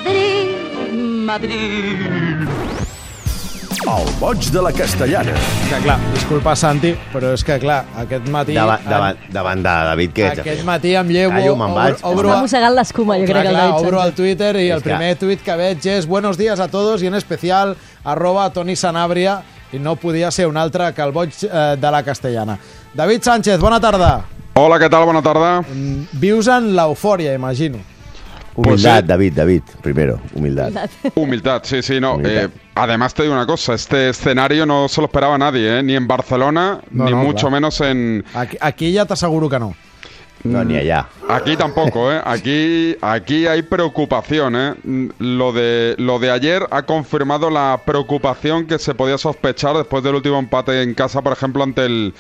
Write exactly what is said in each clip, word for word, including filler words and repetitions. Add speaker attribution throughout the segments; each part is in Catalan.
Speaker 1: Madrid, Madrid.
Speaker 2: El boig de la Castellana.
Speaker 3: Que clar, disculpa Santi, però és que clar, aquest matí...
Speaker 4: Davant, davant, davant de David, què ets a fer?
Speaker 3: Aquest matí em llevo...
Speaker 4: Callo, me'n vaig.
Speaker 3: Obro, obro,
Speaker 5: Està mossegant l'escuma, jo
Speaker 3: clar,
Speaker 5: crec que el
Speaker 3: clar,
Speaker 5: David
Speaker 3: obro el
Speaker 5: Sánchez.
Speaker 3: Twitter i
Speaker 4: És
Speaker 3: el
Speaker 4: que-
Speaker 3: primer tuit que veig és buenos días a todos i en especial arroba Toni Sanabria i no podia ser un altre que el boig eh, de la Castellana. David Sánchez, bona tarda.
Speaker 6: Hola, què tal? Bona tarda.
Speaker 3: Vius en l'eufòria, imagino.
Speaker 4: Humildad,
Speaker 6: Pues sí.
Speaker 4: David, David, primero, humildad.
Speaker 6: Humildad, sí, sí, no.
Speaker 4: Humildad.
Speaker 6: Eh, además te digo una cosa, este escenario no se lo esperaba nadie, ¿eh? Ni en Barcelona,
Speaker 3: No,
Speaker 6: ni
Speaker 3: no,
Speaker 6: mucho
Speaker 3: clar.
Speaker 6: menos en...
Speaker 3: Aquí, aquí ja t'asseguro que no.
Speaker 4: No, ni allá.
Speaker 6: Aquí tampoco, ¿eh? Aquí, aquí hay preocupación, ¿eh? Lo de, lo de ayer ha confirmado la preocupación que se podía sospechar después del último empate en casa, por ejemplo, ante el,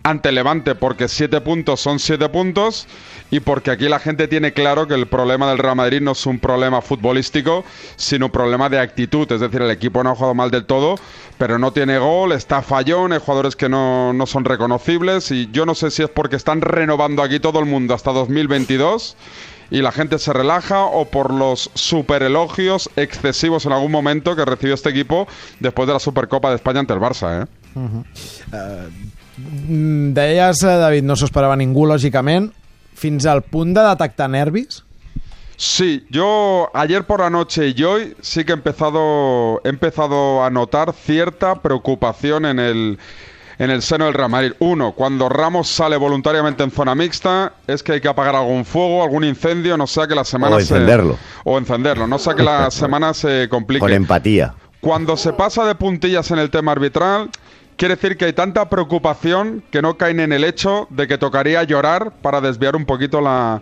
Speaker 6: ante el Levante, porque siete puntos son siete puntos y porque aquí la gente tiene claro que el problema del Real Madrid no es un problema futbolístico, sino un problema de actitud. Es decir, el equipo no ha jugado mal del todo, pero no tiene gol, está fallón, hay jugadores que no, no son reconocibles y yo no sé si es porque están renovando aquí todo el mundo hasta dos mil veintidós y la gente se relaja o por los superelogios excesivos en algún momento que recibió este equipo después de la Supercopa de España ante el Barça, ¿eh?
Speaker 3: Mm, Deies, eh, David, no s'ho esperava ningú, lògicament, fins al punt de detectar nervis?
Speaker 6: Sí, yo ayer por la noche y hoy sí que he empezado, he empezado a notar cierta preocupación en el, en el seno del Real Madrid. Uno, cuando Ramos sale voluntariamente en zona mixta, es que hay que apagar algún fuego, algún incendio, no sea que la semana
Speaker 4: O encenderlo.
Speaker 6: se... O encenderlo, no sea que la semana se complique.
Speaker 4: Con empatía.
Speaker 6: Cuando se pasa de puntillas en el tema arbitral, quiere decir que hay tanta preocupación que no caen en el hecho de que tocaría llorar para desviar un poquito la,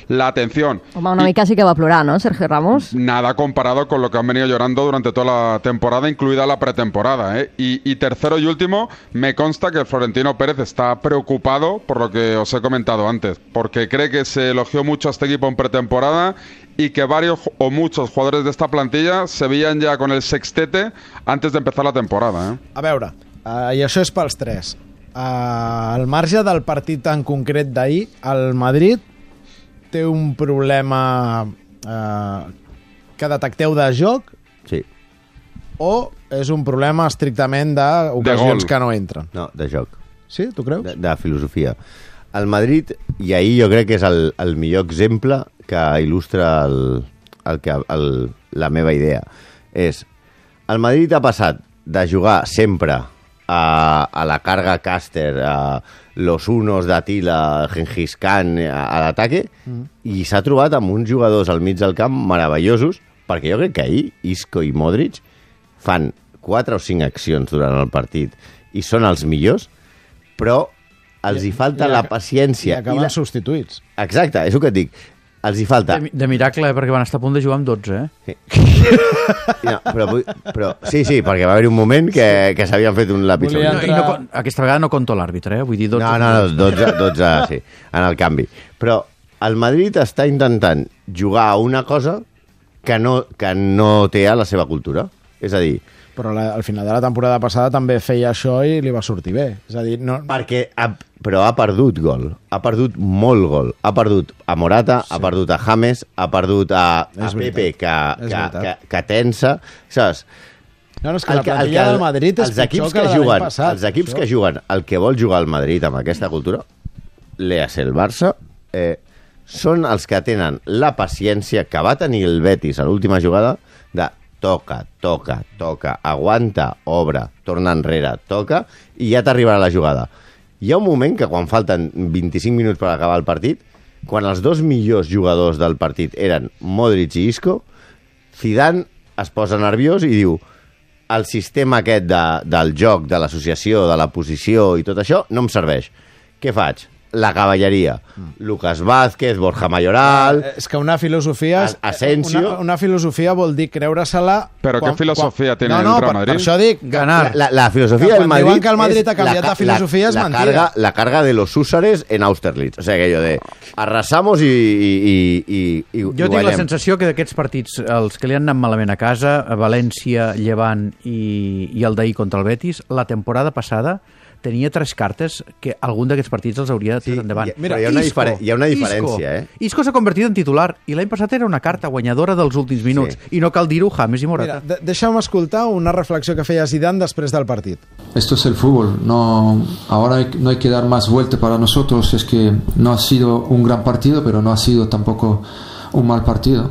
Speaker 6: la atención.
Speaker 5: Home, una
Speaker 6: Y-
Speaker 5: mica sí que va plorar, no, Sergio Ramos?
Speaker 6: Nada comparado con lo que han venido llorando durante toda la temporada, incluida la pretemporada, ¿eh? Y, y tercero y último, me consta que Florentino Pérez está preocupado por lo que os he comentado antes, porque cree que se elogió mucho a este equipo en pretemporada y que varios o muchos jugadores de esta plantilla se veían ya con el sextete antes de empezar la temporada, ¿eh?
Speaker 3: A veure, uh, i això és pels tres. Uh, al marge del partit en concret d'ahir, el Madrid té un problema uh, que detecteu de joc
Speaker 4: Sí.
Speaker 3: o és un problema estrictament
Speaker 6: De
Speaker 3: d'ocasions
Speaker 6: gol.
Speaker 3: que no entren?
Speaker 4: No, de joc.
Speaker 3: Sí, tu creus?
Speaker 4: De, de filosofia. El Madrid, i ahir jo crec que és el, el millor exemple que il·lustra el, el que, el, la meva idea. És, el Madrid ha passat de jugar sempre a, a la carga Caster, a los unos d'Atila, Gengis Khan, a, a l'ataque, mm. i s'ha trobat amb uns jugadors al mig del camp meravellosos, perquè jo crec que ahir Isco i Modric fan quatre o cinc accions durant el partit i són els millors, però els hi falta
Speaker 3: I
Speaker 4: la
Speaker 3: ac-
Speaker 4: paciència.
Speaker 3: I acaben
Speaker 4: la...
Speaker 3: substituïts.
Speaker 4: Exacte, és el que et dic. Els hi falta...
Speaker 7: De, de miracle, eh? Perquè van estar a punt de jugar amb dotze, eh?
Speaker 4: No, però, vull- però, sí, sí, perquè va haver un moment que, que s'havien fet un lápiz.
Speaker 3: Volia
Speaker 7: No, i no, con- aquesta vegada no conto l'àrbitre, eh? Vull dir, dotze.
Speaker 4: No, no, no, dotze, dotze, sí, en el canvi. Però el Madrid està intentant jugar a una cosa que no, que no té a la seva cultura. És a dir,
Speaker 3: Però la, al final de la temporada passada també feia això i li va sortir bé. És a dir, no...
Speaker 4: perquè ha, però ha perdut gol, ha perdut molt gol, ha perdut a Morata, sí. ha perdut a James, ha perdut a, a
Speaker 3: És
Speaker 4: Pepe,
Speaker 3: veritat,
Speaker 4: que,
Speaker 3: és
Speaker 4: que,
Speaker 3: veritat.
Speaker 4: que, que tensa, saps?
Speaker 3: No, no, és que la plantilla del Madrid és
Speaker 4: els equips
Speaker 3: pitjor
Speaker 4: que,
Speaker 3: que la de l'any
Speaker 4: juguen,
Speaker 3: passat.
Speaker 4: els equips
Speaker 3: Això.
Speaker 4: que juguen el que vol jugar el Madrid amb aquesta cultura, l'E A C, el Barça, eh, són els que tenen la paciència que va tenir el Betis a l'última jugada de toca, toca, toca, aguanta, obre, torna enrere, toca, i ja t'arribarà la jugada. Hi ha un moment que quan falten vint-i-cinc minuts per acabar el partit, quan els dos millors jugadors del partit eren Modric i Isco, Zidane es posa nerviós i diu el sistema aquest de, del joc, de l'associació, de la posició i tot això, no em serveix. Què faig? La cavalleria. Mm. Lucas Vázquez, Borja Mayoral...
Speaker 3: Eh, És que una filosofia... és-
Speaker 4: Asensio.
Speaker 3: Una, una filosofia vol dir creure-se-la...
Speaker 6: Però què filosofia té
Speaker 3: no,
Speaker 6: el
Speaker 3: no,
Speaker 6: Real
Speaker 3: per,
Speaker 6: Madrid?
Speaker 3: per això dic...
Speaker 7: Ganar.
Speaker 4: La, la filosofia
Speaker 3: Que
Speaker 4: del
Speaker 3: quan
Speaker 4: Madrid...
Speaker 3: diuen que el Madrid
Speaker 4: és
Speaker 3: ha canviat
Speaker 4: la,
Speaker 3: de filosofia és
Speaker 4: la, la
Speaker 3: mentida.
Speaker 4: Carga, la carga de los húsares en Austerlitz. O sigui, aquello de arrasamos i, i, i, i, i
Speaker 7: Jo tinc la
Speaker 4: guanyem.
Speaker 7: sensació que d'aquests partits, els que li han anat malament a casa, a València, Llevant i, i el d'ahir contra el Betis, la temporada passada tenia tres cartes que algun d'aquests partits els hauria
Speaker 4: Sí,
Speaker 7: tret endavant.
Speaker 4: hi ha- però hi ha una difere- hi ha una diferència, eh?
Speaker 7: Isco s'ha convertit en titular i l'any passat era una carta guanyadora dels últims minuts.
Speaker 4: Sí.
Speaker 7: I no cal dir-ho, James i
Speaker 3: Mira,
Speaker 7: Morata.
Speaker 3: de deixa'm escoltar una reflexió que feia Zidane després del partit.
Speaker 8: Esto es el fútbol, no, ahora hay- no hay que dar más vuelta para nosotros, es que no ha sido un gran partido, pero no ha sido tampoco un mal partido,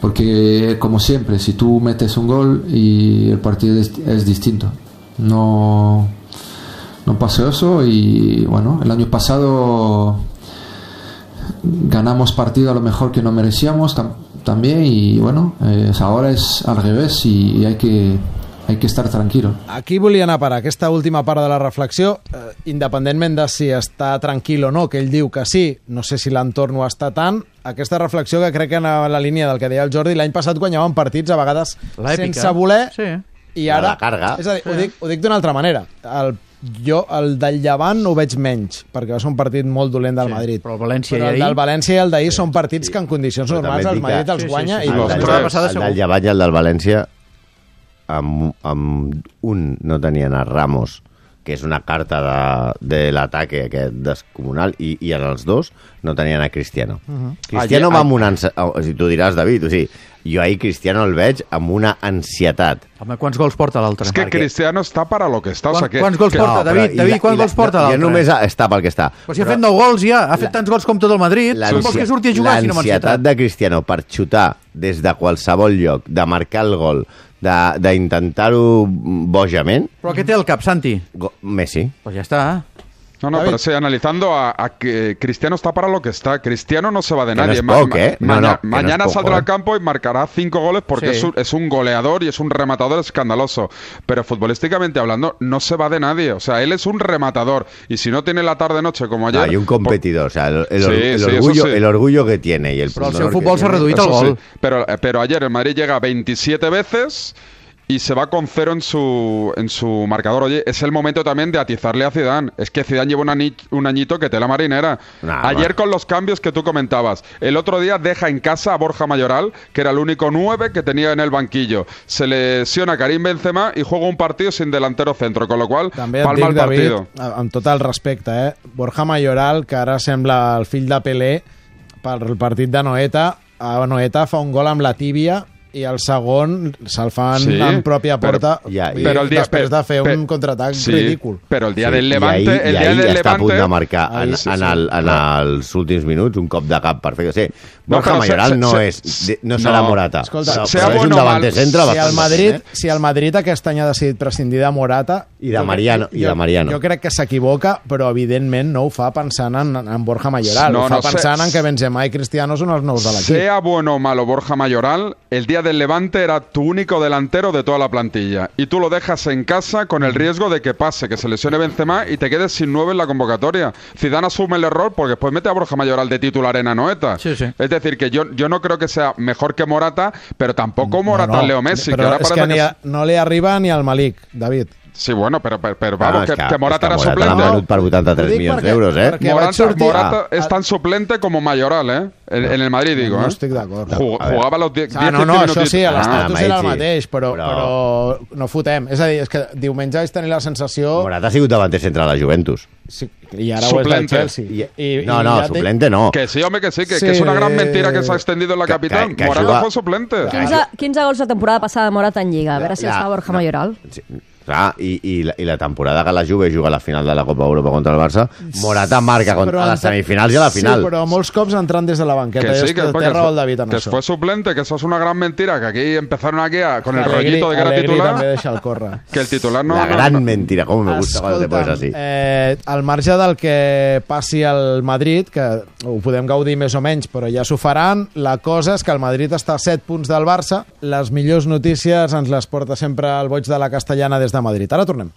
Speaker 8: porque como siempre, si tú metes un gol y el partido es, es distinto, no, no pasó eso y bueno, el año pasado ganamos partido a lo mejor que no merecíamos tam- también y bueno, eh, ahora es al revés y hay que hay que estar tranquilo.
Speaker 3: Aquí volia anar a parar aquesta última part de la reflexió, eh, independentment de si està tranquil o no, que ell diu que sí, no sé si l'entorn ho està tant, aquesta reflexió que crec que anava en la línia del que deia el Jordi, l'any passat guanyaven partits a vegades
Speaker 7: L'èpica.
Speaker 3: sense voler,
Speaker 7: Sí.
Speaker 3: i ara...
Speaker 4: La càrrega.
Speaker 3: És a dir, ho dic, ho dic d'una altra manera. El, jo, el del Llevant ho veig menys, perquè va ser un partit molt dolent del
Speaker 7: Sí,
Speaker 3: Madrid.
Speaker 7: però el València
Speaker 3: però
Speaker 7: i
Speaker 3: el
Speaker 7: ahir-
Speaker 3: del València i el d'ahir són partits que en condicions
Speaker 4: Però
Speaker 3: normals
Speaker 4: també
Speaker 3: el
Speaker 4: dic que-
Speaker 3: Madrid els
Speaker 7: Sí, sí,
Speaker 3: guanya
Speaker 7: sí.
Speaker 3: i
Speaker 6: El
Speaker 3: los
Speaker 6: del
Speaker 3: tres.
Speaker 6: tres.
Speaker 7: passada
Speaker 4: el
Speaker 7: segur.
Speaker 4: del Llevant i el del València amb, amb un no tenien a Ramos, que és una carta de, de l'ataque aquest descomunal, i, i en els dos no tenien a Cristiano. Cristiano
Speaker 6: Ayer-
Speaker 4: va amb una... ansi- O sigui, tu diràs, David, o sigui, jo ahir Cristiano el veig amb una ansietat.
Speaker 7: Home, quants gols porta l'altre?
Speaker 6: Es que
Speaker 4: Perquè-
Speaker 6: Cristiano está para lo que está. O sea,
Speaker 7: Quan-
Speaker 6: que,
Speaker 7: quants gols
Speaker 6: que-
Speaker 7: porta,
Speaker 4: però
Speaker 7: David?
Speaker 4: i
Speaker 7: David,
Speaker 4: la-
Speaker 7: quants
Speaker 4: i la-
Speaker 7: gols porta
Speaker 4: ja
Speaker 7: l'altre?
Speaker 4: només està pel que està.
Speaker 7: Però si ha fet nou gols ja, ha fet tants gols com tot el Madrid, com vols que surti a jugar si no amb
Speaker 4: L'ansietat
Speaker 7: ansietat?
Speaker 4: de Cristiano per xutar des de qualsevol lloc, de marcar el gol, de- d'intentar-ho bojament,
Speaker 7: Però què té al cap, Santi?
Speaker 4: go- Messi.
Speaker 7: Pues ja està.
Speaker 6: No, no,
Speaker 3: David.
Speaker 6: pero sí, analizando a, a que Cristiano está para lo que está. Cristiano no se va de
Speaker 4: Que no
Speaker 6: nadie.
Speaker 4: es poco, ¿eh? No,
Speaker 6: maña-
Speaker 4: no, que no
Speaker 6: mañana
Speaker 4: es poco,
Speaker 6: saldrá
Speaker 4: ¿eh?
Speaker 6: al campo y marcará cinco goles porque
Speaker 7: Sí.
Speaker 6: es, un, es un goleador y es un rematador escandaloso. Pero futbolísticamente hablando, no se va de nadie. O sea, él es un rematador. Y si no tiene la tarde-noche como ayer...
Speaker 4: Hay un competidor, o sea, el, el or-
Speaker 6: Sí,
Speaker 4: el
Speaker 6: sí, eso
Speaker 4: orgullo,
Speaker 6: sí.
Speaker 4: el orgullo que tiene y el
Speaker 7: Però el
Speaker 4: pundonor
Speaker 7: seu
Speaker 4: que
Speaker 7: futbol s'ha
Speaker 4: tiene.
Speaker 7: reduït al
Speaker 6: Eso sí,
Speaker 7: gol.
Speaker 6: pero, eh, pero ayer el Madrid llega veintisiete veces y se va con cero en su en su marcador. Oye, es el momento también de atizarle a Zidane. Es que Zidane lleva un, ani- un añito que tela marinera.
Speaker 4: Nah,
Speaker 6: ayer
Speaker 4: man.
Speaker 6: con los cambios que tú comentabas. El otro día deja en casa a Borja Mayoral, que era el único nueve que tenía en el banquillo. Se lesiona Karim Benzema y juega un partido sin delantero centro, con lo cual
Speaker 3: També et
Speaker 6: palma
Speaker 3: dic,
Speaker 6: el
Speaker 3: David,
Speaker 6: partido.
Speaker 3: amb tot el respecte, eh? Borja Mayoral, que ara sembla el fill de Pelé, pel partit de Noeta, a Noeta fa un gol amb la tíbia i el segon se'l fan
Speaker 6: Sí,
Speaker 3: en pròpia
Speaker 6: però-
Speaker 3: porta
Speaker 4: ja,
Speaker 3: vull dir,
Speaker 6: Pero el día,
Speaker 3: després de fer
Speaker 6: pe-
Speaker 3: un contraatac
Speaker 6: sí,
Speaker 3: ridícul.
Speaker 6: Pero el día
Speaker 4: Sí,
Speaker 6: del
Speaker 4: i
Speaker 6: Levante,
Speaker 4: ahir,
Speaker 6: el
Speaker 4: i
Speaker 6: día
Speaker 4: ahir
Speaker 6: del
Speaker 4: està a punt
Speaker 6: Levante,
Speaker 4: de marcar en,
Speaker 3: Ahir sí,
Speaker 4: en,
Speaker 3: sí.
Speaker 4: el, en els últims minuts un cop de cap perfecte. Sí,
Speaker 6: No,
Speaker 4: Borja
Speaker 6: però se-
Speaker 4: Mayoral
Speaker 6: se-
Speaker 4: no,
Speaker 6: se-
Speaker 4: és, de- no serà
Speaker 6: no.
Speaker 4: Morata.
Speaker 3: Escolta,
Speaker 4: però,
Speaker 6: sea
Speaker 4: però és
Speaker 6: bueno
Speaker 4: un
Speaker 6: o
Speaker 4: davanter
Speaker 6: mal,
Speaker 4: centre
Speaker 3: Si
Speaker 4: bastant
Speaker 3: el, Madrid,
Speaker 4: decent, eh?
Speaker 3: si el Madrid aquest any ha decidit prescindir de Morata...
Speaker 4: I de
Speaker 3: jo crec-
Speaker 4: Mariano, i de
Speaker 3: jo-
Speaker 4: Mariano.
Speaker 3: Jo crec que s'equivoca, però evidentment no ho fa pensant en, en Borja Mayoral.
Speaker 6: No,
Speaker 3: ho fa
Speaker 6: no,
Speaker 3: pensant
Speaker 6: se-
Speaker 3: en que Benzema i Cristiano són els nous de l'equip.
Speaker 6: Sea bueno o malo Borja Mayoral, el día del Levante era tu único delantero de toda la plantilla. Y tú lo dejas en casa con el riesgo de que pase, que se lesione Benzema y te quedes sin nueve en la convocatoria. Zidane asume el error porque después mete a Borja Mayoral de titular en Anoeta.
Speaker 7: Sí, sí.
Speaker 6: Es decir, que yo, yo no creo que sea mejor que Morata, pero tampoco Morata
Speaker 3: No, no,
Speaker 6: Leo Messi. Que
Speaker 3: però
Speaker 6: ahora
Speaker 3: és
Speaker 6: parece
Speaker 3: que, ni
Speaker 6: que
Speaker 3: a, no li arriba ni al Malik, David.
Speaker 6: Sí, bueno, pero, pero, pero
Speaker 4: Bueno,
Speaker 6: vamos,
Speaker 4: és
Speaker 6: que, que Morata
Speaker 4: és
Speaker 6: era
Speaker 4: Morata
Speaker 6: suplente.
Speaker 4: l'ha venut per vuitanta-tres
Speaker 3: Ho dic
Speaker 4: milions
Speaker 3: perquè-
Speaker 4: d'euros, eh?
Speaker 3: perquè-
Speaker 6: Morata,
Speaker 3: vaig sortir-
Speaker 6: Morata
Speaker 3: Ah,
Speaker 6: es tan suplente como Mayoral, ¿eh? En, en el Madrid, digo,
Speaker 3: No
Speaker 6: ¿eh?
Speaker 3: estic d'acord.
Speaker 6: Jug-
Speaker 4: A veure.
Speaker 6: Jugava los diez
Speaker 3: Ah, no, no, això sí,
Speaker 4: Ah,
Speaker 3: l'estatus
Speaker 4: Mike,
Speaker 3: era el
Speaker 4: sí.
Speaker 3: mateix, però,
Speaker 4: Però-
Speaker 3: però no fotem. És a dir, és que diumenge vaig tenir la sensació...
Speaker 4: Morata ha sigut davanter centre de la Juventus.
Speaker 3: Sí, i ara ho és del
Speaker 6: Suplente.
Speaker 3: Chelsea.
Speaker 4: I, no, no,
Speaker 3: ja té-
Speaker 4: suplente no.
Speaker 6: Que sí, hombre, que sí, que,
Speaker 3: Sí.
Speaker 6: que es una gran mentira que se ha extendido en la
Speaker 4: Que-
Speaker 6: capital.
Speaker 4: que- que
Speaker 6: Morata
Speaker 4: juga-
Speaker 6: fue suplente.
Speaker 5: quinze, quinze gols la temporada passada de Morata en Lliga. A veure si
Speaker 4: La-
Speaker 5: els fa Borja
Speaker 4: no.
Speaker 5: Mayoral.
Speaker 4: Sí, clar, i, i, la, i la temporada que la Juve juga a la final de la Copa Europa contra el Barça, Morata marca contra, a les
Speaker 3: entra-
Speaker 4: semifinals i a la final.
Speaker 3: Sí, però molts cops entrant des de la banqueta.
Speaker 6: Que sí,
Speaker 3: És
Speaker 6: que,
Speaker 3: té
Speaker 6: que
Speaker 3: raó
Speaker 6: fue,
Speaker 3: el David en
Speaker 6: que
Speaker 3: això.
Speaker 6: fue suplente, que eso es una gran mentira, que aquí empezaron aquí a- con el
Speaker 3: Allegri-
Speaker 6: rollito de que era
Speaker 3: Allegri també
Speaker 6: titular,
Speaker 3: deixa el córrer.
Speaker 6: que el titular no...
Speaker 4: la
Speaker 6: no-
Speaker 4: gran
Speaker 6: no-
Speaker 4: mentira, com me gusta cuando te pones así.
Speaker 3: eh, al marge del que passi al Madrid, que ho podem gaudir més o menys, però ja s'ho faran, la cosa és que el Madrid està a set punts del Barça. Les millors notícies ens les porta sempre el Boig de la Castellana des de Madrid. Ara tornem.